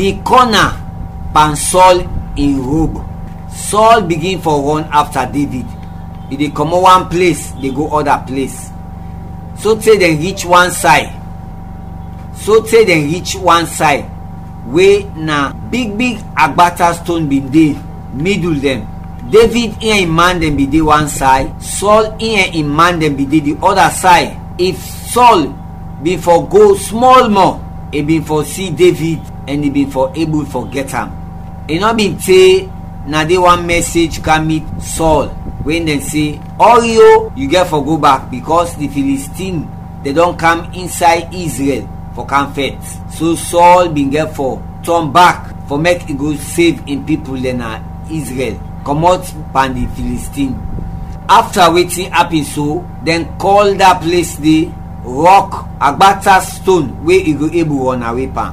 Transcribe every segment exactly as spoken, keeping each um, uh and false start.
di kɔna pan Sɔl in rob. Sɔl bigin fɔ rɔn afta Devid. I de kɔmɔt wan ples de go ɔda ples, sote dɛn rich wan say, sote dɛn rich wan say we na big big agbata ston bin de midul dɛn. Devid in ɛn in man dɛn bin de wan say, Sɔl in ɛn in man dɛn bin de di ɔda say. If Sɔl bin fɔ go smɔl mɔ, i bin fɔ si Devid ɛn i bin fɔ ebul fɔ gɛt am. I nɔ bin te, na de wan mɛsej kam mit Sɔl, we dɛn se, ɔri o, yu gɛt fɔ go bak, bikɔs di Filistin dɛn dɔn kam insay Izrɛl fɔ kam fɛt. So Sɔl bin gɛt fɔ tɔn bak fɔ mek i go sev in pipul dɛn na Izrɛl kɔmɔt pan di Filistin. Afta wetin apin so, dɛn kɔl da ples de Rɔk, agbata ston we i go ebul rɔnawe pan.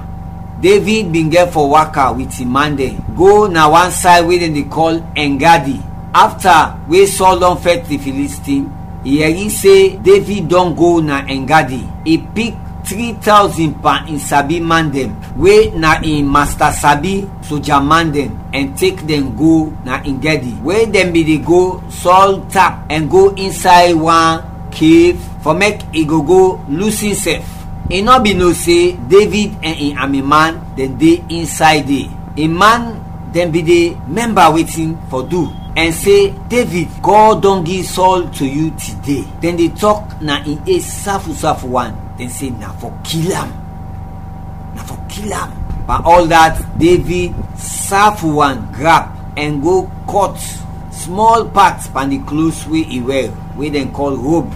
Devid bin gɛt fɔ waka wit in man dɛn go na wan say we dɛn de kɔl Ɛngadi. Afta we Sɔl dɔn fɛt di Filistin, i yɛri se Devid dɔn go na Ɛngadi. I pik tri tawzin pan in sabi man dɛn, we na in masta sabi soja man dɛn, ɛn tek dɛn go na Ɛngadi, we dɛn bin de go Sɔl tap ɛn go insay wan kev fɔ mek i go go lus insɛf. I nɔ bin no se Devid ɛn in ami man dɛn de insay de. In man dɛn bin de mɛmba wetin fɔ du, ɛn se, Devid, Gɔd dɔn gi Sɔl to yu tide. Dɛn de tɔk na in es safu safu wan, dɛn se, na fɔ kil am, na fɔ kil am. Pan ɔl dat, Devid safu wan grap ɛn go kɔt smɔl pat pan di klos we i wɛr, we dɛn kɔl rob.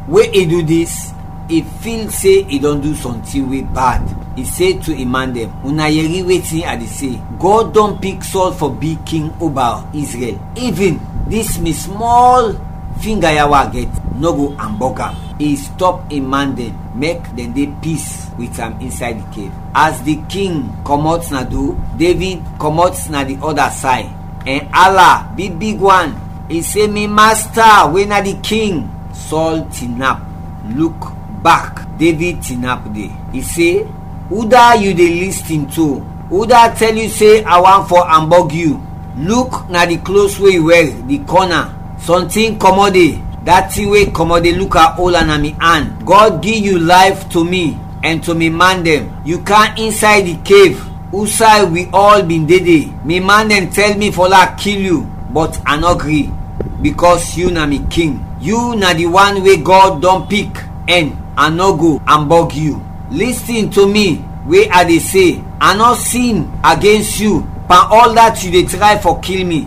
We i du dis, i fil se i dɔn du sɔntin we bad. I se to in man dɛn, una yɛri wetin a de se, Gɔd dɔn pik Sɔl fɔ bi king oba Izrɛl. Ivin dis mi smɔl finga ya we a gɛt nɔ go ambɔg am. I stɔp in man dɛn mek dɛn de pis wit am insay di kev. As di king kɔmɔt na do, Devid kɔmɔt na di ɔda say, ɛn ala big big wan. I se, mi masta, we na di king. Sɔl tinap, luk bak, Devid tinap de. I se, uda yu de listin to? Uda tɛl yu se a want fɔ ambɔg yu? Luk na di klos we yu wɛr, di kɔna. Sɔntin kɔmɔt de, dat tin we kɔmɔt de luk a ol am na mi an. Gɔd gi yu layf to mi ɛn to mi man dɛn. Yu kam insay di kev, usay wi ɔl bin de de. Mi man dɛn tɛl mi fɔ lak kil yu, bɔt a nɔ gri, bikɔs yu na mi king. Yu na di wan we Gɔd dɔn pik, ɛn a nɔ go ambɔg yu. Listin to mi we a de se, a nɔ sin agens yu pan ɔl dat yu de tray fɔ kil mi,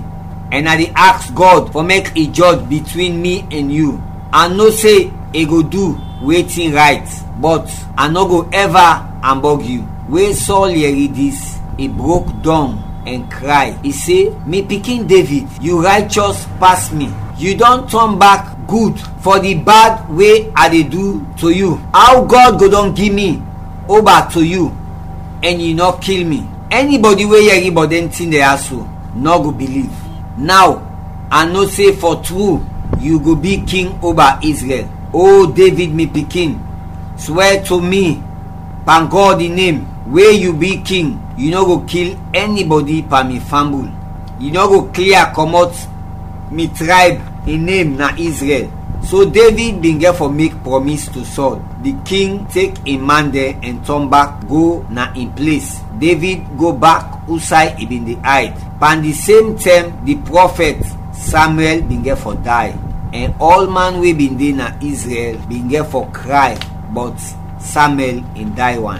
ɛn a de aks Gɔd fɔ mek i jɔj bitwin mi ɛn yu. A no se i go du wetin rayt, bɔt a nɔ go ɛva ambɔg yu. We Sɔl yɛri dis, i brok dɔng ɛn kray, i se, mi pikin Devid, yu raychɔs pas mi. Yu dɔn tɔn bak gud fɔ di bad we a de du to yu. Aw Gɔd go dɔn gi mi oba to yu, ɛn yu nɔ kil mi? Ɛnibɔdi we yɛri bɔt dɛn tin dɛn ya so nɔ go biliv. Naw, a no se fɔ tru yu go bi king oba Izrɛl. O Devid, mi pikin, swɛ to mi pan Gɔd in nem, we yu bi king, yu nɔ go kil ɛnibɔdi pan mi fambul. Yu nɔ go klia kɔmɔt mi trayb in nem na Izrɛl. So Devid bin gɛt fɔ mek prɔmis to Sɔl. Di king tek in man dɛn ɛn tɔn bak go na in ples. Devid go bak usay i bin de ayd. Pan di sem tɛm, di prɔfɛt Samuɛl bin gɛt fɔ day, ɛn ɔl man we bin de na Izrɛl bin gɛt fɔ kray, bɔt Samuɛl in day wan.